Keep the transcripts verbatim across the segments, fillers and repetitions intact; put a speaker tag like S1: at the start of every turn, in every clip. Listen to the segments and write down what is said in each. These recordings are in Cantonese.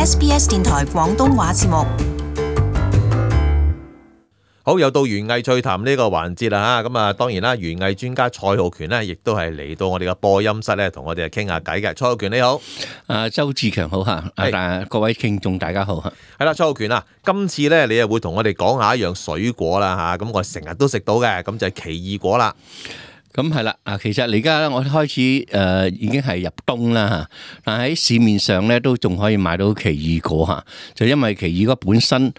S1: S B S 電台廣東話節目。
S2: 好，又到園藝趣談呢個環節啦嚇，咁啊當然啦，園藝專家蔡浩權呢，亦都係嚟到我哋嘅播音室咧，同我哋傾下偈嘅。蔡浩權你好，
S3: 啊周志強好嚇，啊各位聽眾大家好嚇。
S2: 係啦，蔡浩權啊，今次咧你又會同我哋講下一樣水果啦嚇，咁我成日都食到嘅，咁就係奇異果啦。
S3: 咁係啦，啊其實而家我開始誒、呃、已經係入冬啦嚇，但喺市面上咧都仲可以買到奇異果嚇，就因為奇異果本身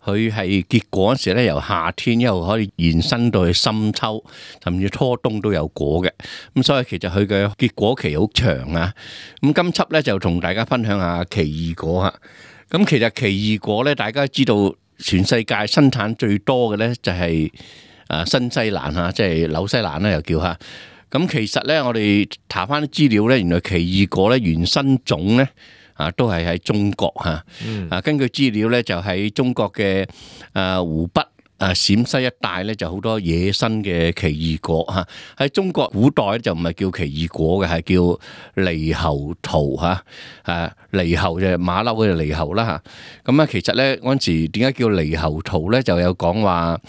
S3: 佢係結果嗰時咧，由夏天一路可以延伸到去深秋，甚至初冬都有果嘅。咁所以其實佢嘅結果期好長啊。咁今輯咧就同大家分享下奇異果嚇。咁其實奇異果咧，大家知道全世界生產最多嘅咧就係、是。啊，新西蘭嚇，即係紐西蘭咧，又叫嚇。咁其實咧，我哋查翻啲資料咧，原來奇異果咧原生種咧啊，都係喺中國嚇。嗯、啊，根據資料咧，就喺中國嘅啊湖北啊陝西一帶咧，就好多野生嘅奇異果嚇。喺中國古代就唔係叫奇異果嘅，係叫獼猴桃嚇。啊，獼猴就係馬騮嘅獼猴啦嚇。咁啊，其實咧嗰陣時點解叫獼猴桃咧？就有講話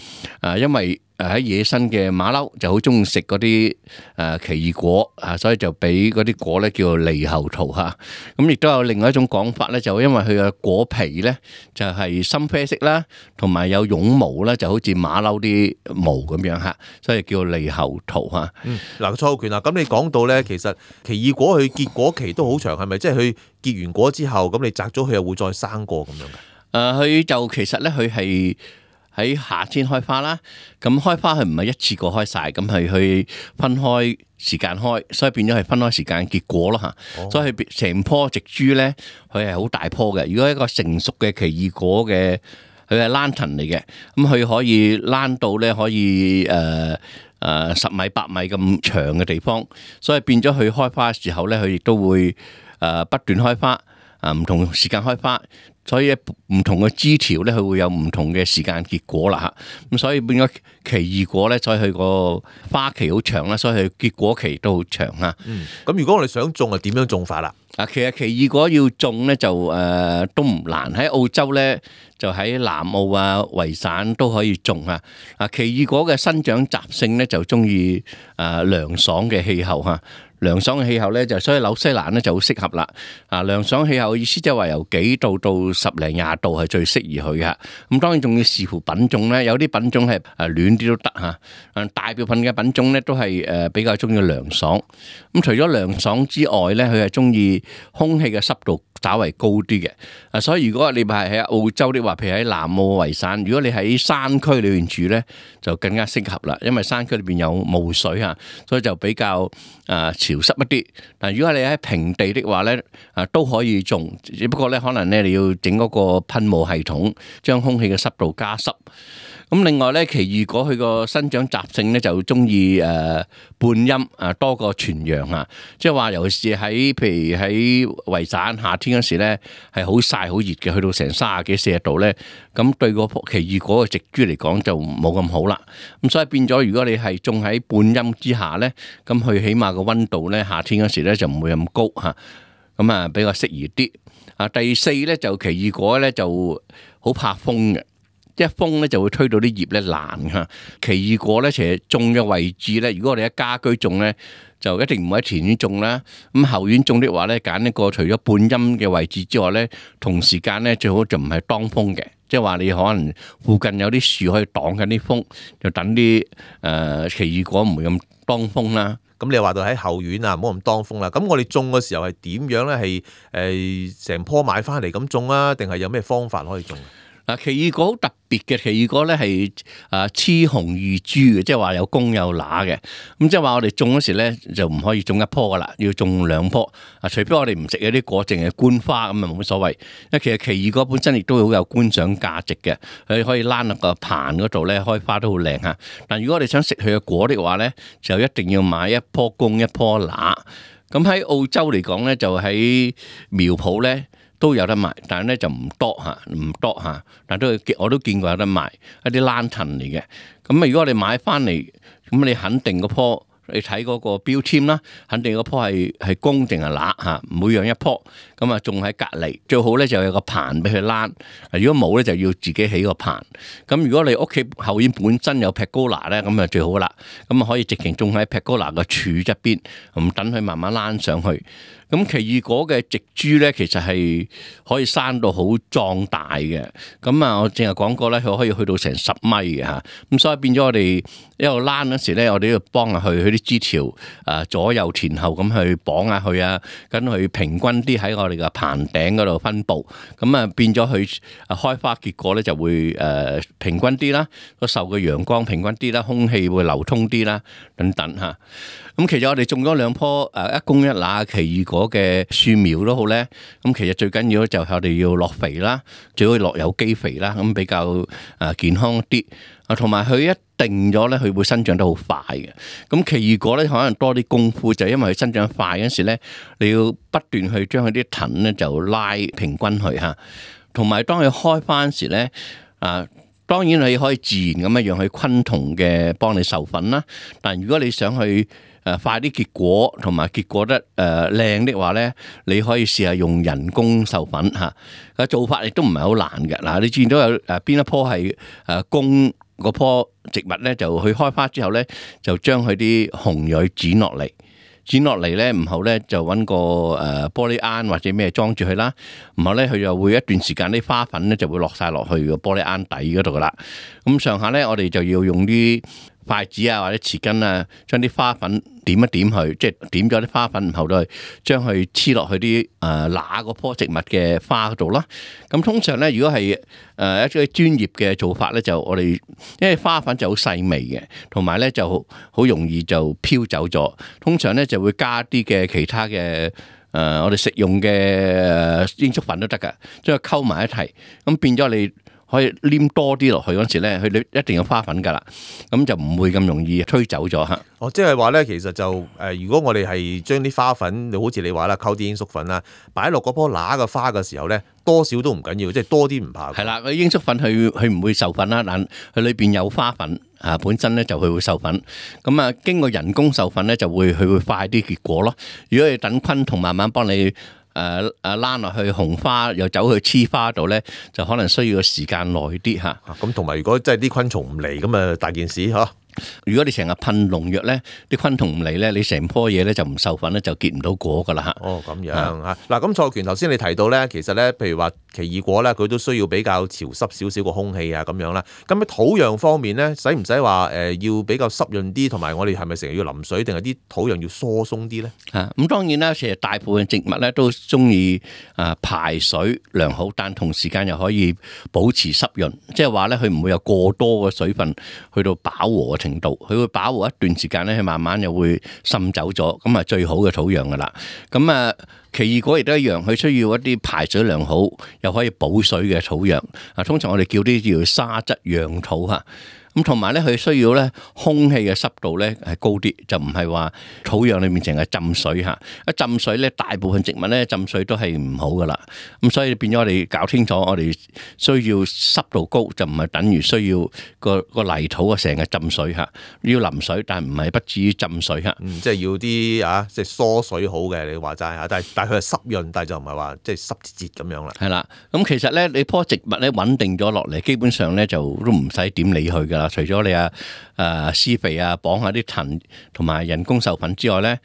S3: 啊，因為誒喺野生嘅馬騮就好中意食嗰啲誒奇異果啊，所以就俾嗰啲果咧叫做獼猴桃嚇。咁亦都有另外一種講法咧，就因為佢嘅果皮咧就係深啡色啦，同埋有絨毛啦，就好似馬騮啲毛咁樣嚇，所以叫獼猴桃嚇。
S2: 嗯，嗱，蔡浩權啊，咁你講到咧，其實奇異果佢結果期都好長，係咪？即係佢結完果之後，咁你摘咗佢又會再生過咁樣嘅？
S3: 誒，佢就其實咧，佢係喺夏天開花啦，咁開花佢唔係一次過開晒，咁係去分開時間開，所以變咗係分開時間結果咯嚇。哦、所以佢成棵植株咧，佢係好大棵嘅。如果一個成熟嘅奇異果嘅，佢係蘭藤嚟嘅，咁佢可以蘭到咧可以誒誒、呃呃、十米八米咁長嘅地方，所以變咗佢開花嘅時候咧，佢亦都會誒不斷開花，啊唔同時間開花。所以唔同嘅枝條咧，佢會有唔同嘅時間結果啦嚇。咁所以變咗奇異果咧，所以佢個花期好長啦，所以佢結果期都好長啊。
S2: 嗯，咁如果我哋想種啊，點樣種法啦？
S3: 啊，其實奇異果要種咧就誒、呃、都唔難，喺澳洲咧就喺南澳啊、維省都可以種啊。啊，奇異果嘅生長習性咧就中意誒涼爽嘅氣候嚇。涼爽嘅氣候咧，就所以紐西蘭咧就好適合啦。啊，涼爽氣候意思即係話由幾度到十零廿度係最適宜佢嘅。咁當然仲要視乎品種咧，有啲品種係誒暖啲都得嚇。誒大部分嘅品種咧都係誒比較中意涼爽。咁除咗涼爽之外咧，佢係中意空氣嘅濕度稍為高啲嘅。啊，所以如果你係喺澳洲的話，譬如喺南澳維省，如果你喺山區裏邊住咧，就更加適合啦，因為山區裏邊有霧水嚇，所以就比較誒潮濕一啲。但如果你喺平地的話咧，啊都可以種，只不過咧可能咧你要整嗰個噴霧系統，將空氣嘅濕度加濕。咁另外咧，奇異果佢個生長習性咧就中意誒半陰啊多過全陽啊，即係話尤其是喺譬如喺維省夏天嗰時咧係好曬好熱嘅，去到成三十幾四十度咧，咁對個奇異果嘅植株嚟講就冇咁好啦。咁所以變咗，如果你係種喺半陰之下咧，咁佢起碼個溫度咧夏天嗰時咧就唔會咁高嚇，咁啊比較適宜啲。啊，第四咧就奇異果咧就好怕風嘅。一風咧就會推到啲葉咧爛嚇。奇異果咧其實種嘅位置咧，如果我哋喺家居種咧，就一定唔會喺田園種啦。咁後院種的話咧，揀一個除咗半陰嘅位置之外咧，同時間咧最好就唔係當風嘅，即係話你可能附近有啲樹可以擋緊啲風，就等啲誒、呃、奇異果唔會咁當風啦。
S2: 咁你話到喺後院啊，唔好咁當風啦。咁我哋種嘅時候係點樣咧？係誒成棵買翻嚟咁種啊，定係有咩方法可以種？
S3: 嗱，奇異果好特別嘅，奇異果咧係啊雌雄異株嘅，即係話有公有乸嘅。咁即係話我哋種嗰時咧就唔可以種一棵噶啦，要種兩棵。啊，除非我哋唔食嗰啲果，淨係觀花咁啊冇乜所謂。因為其實奇異果本身亦都好有觀賞價值嘅，佢可以躝落個棚嗰度咧開花都好靚嚇。但如果我哋想食佢嘅果的話咧，就一定要買一棵公一棵乸。咁喺澳洲嚟講咧，就喺苗圃咧都有得賣，但係咧就唔多嚇，唔多嚇，但都我都見過有得賣一啲蘭藤嚟嘅。咁啊，如果我哋買翻嚟，咁你肯定嗰棵，你睇嗰個標籤啦，肯定嗰棵係係公定係乸嚇，每樣一棵。咁咁啊種喺隔離，最好咧就有個棚俾佢躝。如果冇咧就要自己起個棚。咁如果你屋企後院本身有 pergola 咧，咁啊最好啦。咁啊可以直情種喺 pergola 個柱側邊，咁等佢慢慢躝上去。咁奇異果嘅植株咧，其實係可以生到好壯大嘅。咁啊，我淨係講過咧，佢可以去到成十米嘅嚇。咁所以變咗我哋一路躝嗰時咧，我哋要幫下佢，佢啲枝條啊左右前後咁去綁下佢啊，咁佢平均啲喺我哋嘅棚頂嗰度分佈。咁啊變咗佢開花結果咧就會誒平均啲啦，個受嘅陽光平均啲啦，空氣會流通啲啦，等等嚇。咁其實我哋種咗兩棵誒一公一乸奇異果嘅樹苗都好咧，咁其實最緊要就係我哋要落肥啦，最好落有機肥啦，咁比較誒健康啲。啊，同埋佢一定咗咧，佢會生長得好快嘅。咁奇異果咧可能多啲功夫，就係因為佢生長快嗰時咧，你要不斷去將佢啲藤咧就拉平均去嚇。同埋當佢開翻時咧，啊當然你可以自然咁樣讓佢昆蟲嘅幫你授粉啦。但如果你想去誒快啲結果，同埋結果得誒靚的話咧，你可以試下用人工授粉嚇。個做法亦都唔係好難嘅。嗱，你見到有誒邊一棵係誒公嗰棵植物咧，就去開花之後咧，就將佢啲紅蕊剪落嚟。剪落嚟咧，唔好咧就揾個誒玻璃罌或者咩裝住佢啦。唔好咧，佢就會一段時間啲花粉咧就會落晒落去個玻璃罌底嗰度噶啦。咁上下咧，我哋就要用啲筷子啊或者匙羹啊，將啲花粉點一點佢，即係點咗啲花粉，然後都係將佢黐落去啲誒乸嗰棵植物嘅花嗰度啦。咁通常咧，如果係誒一啲專業嘅做法咧，就我哋因為花粉就好細微嘅，同埋咧就好容易就飄走咗。通常咧就會加啲嘅其他嘅誒、呃、我哋食用嘅罌粟粉都得㗎，將佢溝埋一齊，咁變咗你可以黏多啲落去嗰時咧，佢一定有花粉㗎啦，咁就唔會咁容易吹走咗嚇。
S2: 哦，即係話咧，其實就誒、呃，如果我哋係將啲花粉，好似你話啦，溝啲罌粟粉啦，擺落嗰棵乸嘅花嘅時候咧，多少都唔緊要，即係多啲唔怕。
S3: 係啦，個罌粟粉佢佢唔會授粉啦，但佢裏邊有花粉啊，本身咧就佢會授粉。咁啊，經過人工授粉咧，就會佢會快啲結果咯。如果你等昆蟲慢慢幫你。誒誒躝落去紅花，又走去黐花度咧，就可能需要時間耐啲嚇。
S2: 咁同埋如果真係啲昆蟲唔嚟，咁啊大件事嚇。
S3: 如果你成日噴農藥咧，啲昆蟲唔嚟咧，你成棵嘢咧就唔授粉咧，就結唔到果噶啦嚇。
S2: 哦，咁樣嚇。嗱，咁蔡權頭先你提到咧，其實咧，譬如話奇異果咧，佢都需要比較潮濕少少個空氣啊，咁樣啦。咁喺土壤方面咧，使唔使話誒要比較濕潤啲，同埋我哋係咪成日要淋水，定係啲土壤要疏鬆啲咧？啊，
S3: 咁當然啦，其實大部分植物咧都中意啊排水良好，但同時間又可以保持濕潤，即係話咧佢唔會有過多嘅水分去到飽和嘅程度，佢會飽和一段時間咧，佢慢慢又會滲走咗，咁啊最好嘅土壤噶啦。咁啊奇異果亦都一樣，佢需要一啲排水良好又可以補水嘅土壤。啊，通常我哋叫啲叫沙質養土嚇。咁同埋咧，佢需要咧空氣嘅濕度咧係高啲，就唔係話土壤裏面淨係浸水嚇。一浸水咧，大部分植物咧浸水都係唔好噶啦。咁所以變咗我哋搞清楚，我哋需要濕度高，就唔係等於需要個個泥土啊成日浸水嚇。要淋水，但係唔係不至於浸水嚇。
S2: 嗯，即係要啲啊，即係疏水好嘅，你話齋嚇。但係但係佢係濕潤，但係就唔係話即係濕節節咁樣啦。
S3: 係啦，咁其實咧，你棵植物咧穩定咗落嚟，基本上咧就都唔使點理佢噶啦。除咗你啊誒施肥啊，綁下啲藤同埋人工授粉之外咧，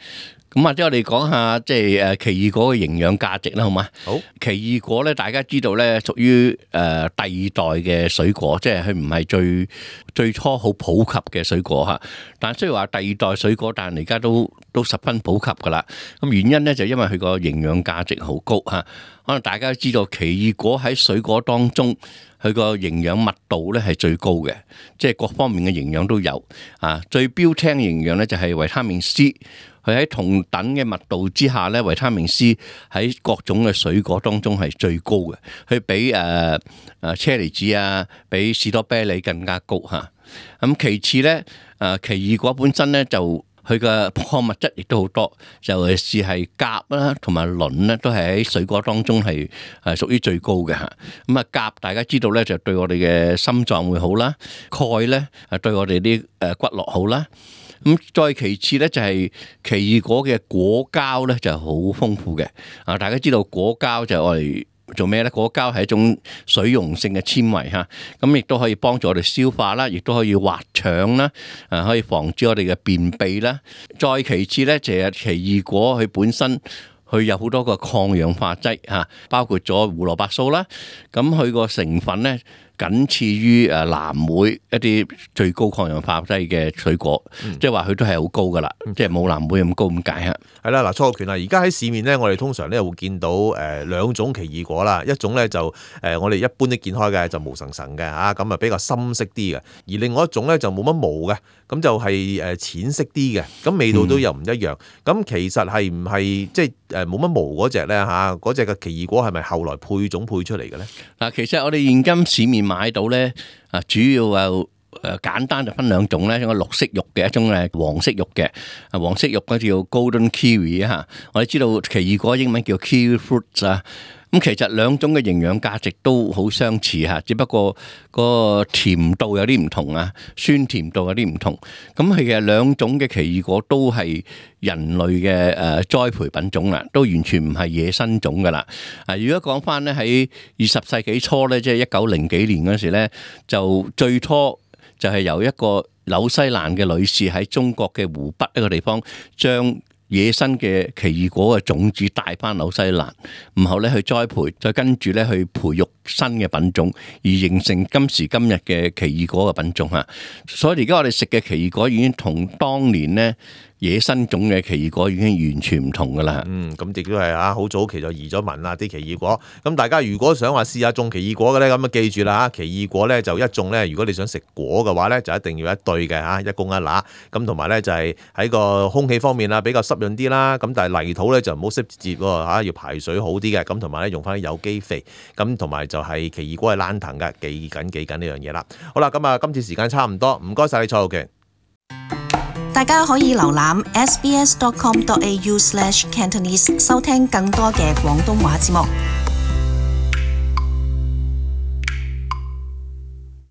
S3: 咁或者我哋講下即係誒奇異果嘅營養價值啦，好嘛？好，奇異果咧，大家知道咧，屬於誒第二代嘅水果，即係佢唔係最最初好普及嘅水果嚇。但雖然話第二代水果，但係而家都都十分普及噶啦。咁原因咧就因為佢個營養價值好高嚇。可能大家都知道奇異果喺水果當中，佢個營養密度咧係最高嘅，即係各方面嘅營養都有啊。最標青營養咧就係維他命 C， 佢喺同等嘅密度之下咧，維他命 C 喺各種嘅水果當中係最高嘅，佢比誒誒車厘子啊，比士多啤梨更加高嚇。咁其次咧，誒奇異果本身咧就佢嘅礦物質亦都好多，尤其是係鉀啦，同埋磷咧，都係喺水果當中係係屬於最高嘅嚇。咁啊，鉀大家知道咧，就對我哋嘅心臟會好啦；鈣咧，係對我哋啲誒骨骼好啦。咁再其次咧就係奇異果嘅果膠咧就好豐富嘅。啊，大家知道果膠就係我哋做咩咧？果膠係一種水溶性嘅纖維嚇，咁亦都可以幫助我哋消化啦，亦都可以滑腸啦，誒可以防止我哋嘅便秘啦。再其次咧就係奇異果佢本身佢有好多個抗氧化劑嚇，包括咗胡蘿蔔素啦，咁佢個成分咧僅次於誒藍莓一啲最高抗氧化劑嘅水果，嗯、即係話佢都係好高噶啦，嗯、即係冇藍莓咁高咁解嚇。係
S2: 啦，嗱，蔡浩權啊，而家喺市面咧，我哋通常咧會見到誒兩種奇異果啦，一種咧就誒我哋一般都見開嘅就毛層層嘅嚇，咁啊比較深色啲嘅，而另外一種咧就冇乜毛嘅，咁就係誒淺色啲嘅，咁味道都又唔一樣。咁、嗯、其實係唔係即係誒冇乜毛嗰隻咧嚇？嗰隻嘅奇異果係咪後來配種配出嚟嘅咧？嗱，
S3: 其實我哋現今市面買到咧，啊主要又誒簡單就分兩種咧，一個綠色肉嘅，一種係黃色肉嘅。啊黃色肉嗰叫 Golden Kiwi 啊，我哋知道奇異果英文叫 Kiwi Fruit 啊。咁其實兩種嘅營養價值都好相似嚇，只不過個甜度有啲唔同啊，酸甜度有啲唔同。咁其實兩種嘅奇異果都係人類嘅誒栽培品種啦，都完全唔係野生種噶啦。啊，如果講翻咧喺二十世紀初咧，即係一九零幾年嗰時咧，就最初就係由一個紐西蘭嘅女士喺中國嘅湖北一個地方將野生嘅奇異果嘅種子帶翻紐西蘭，然後咧去栽培，再跟住咧去培育新嘅品種，而形成今時今日嘅奇異果嘅品種嚇。所以而家我哋食嘅奇異果已經同當年咧野生種嘅奇異果已經完全唔同噶啦。
S2: 嗯，咁亦都係啊，好早期就移咗民啦啲奇異果。咁大家如果想話試下種奇異果嘅咧，咁啊記住啦嚇，奇異果咧就一種咧，如果你想食果嘅話咧，就一定要一對嘅嚇，一公一乸。咁同埋咧就係喺個空氣方面啦，比較濕潤啲啦。咁但係泥土咧就唔好濕接喎嚇，要排水好啲嘅。咁同埋咧用翻啲有機肥。咁同埋就係奇異果係爛藤嘅，記緊記緊呢樣嘢啦。好啦，咁啊今次時間差唔多，唔該晒你蔡浩權。
S1: 大家可以瀏覽 s b s dot com dot a u slash cantonese 收聽更多嘅廣東話節目。